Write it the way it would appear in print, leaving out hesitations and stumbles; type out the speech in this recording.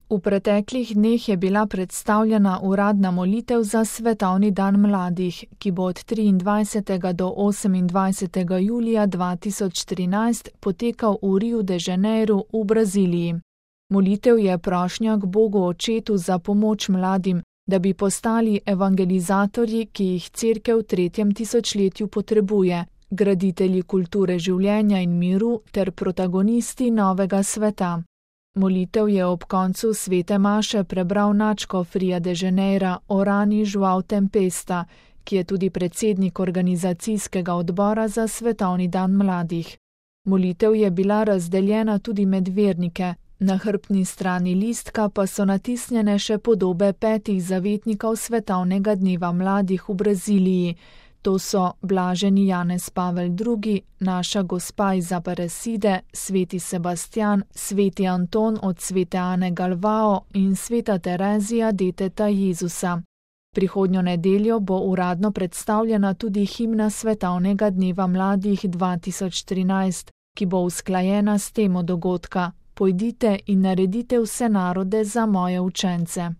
V preteklih dneh je bila predstavljena uradna molitev za Svetovni dan mladih, ki bo od 23. do 28. julija 2013 potekal v Riu de Janeiro v Braziliji. Molitev je prošnja k Bogu Očetu za pomoč mladim, da bi postali evangelizatorji, ki jih Cerkev v 3. tisočletju potrebuje, graditelji kulture življenja in miru ter protagonisti novega sveta. Molitev je ob koncu svete maše prebral nadškof Ria de Janeira Orani João Tempesta, ki je tudi predsednik organizacijskega odbora za Svetovni dan mladih. Molitev je bila razdeljena tudi med vernike, na hrbtni strani listka pa so natisnjene še podobe 5 zavetnikov Svetovnega dneva mladih v Braziliji. To so blaženi Janez Pavel II, naša gospa iz Aparecide, sveti Sebastijan, sveti Anton od svete Ane Galvao in sveta Terezija deteta Jezusa. Prihodnjo nedeljo bo uradno predstavljena tudi himna Svetovnega dneva mladih 2013, ki bo usklajena s temo dogodka: Pojdite in naredite vse narode za moje učence.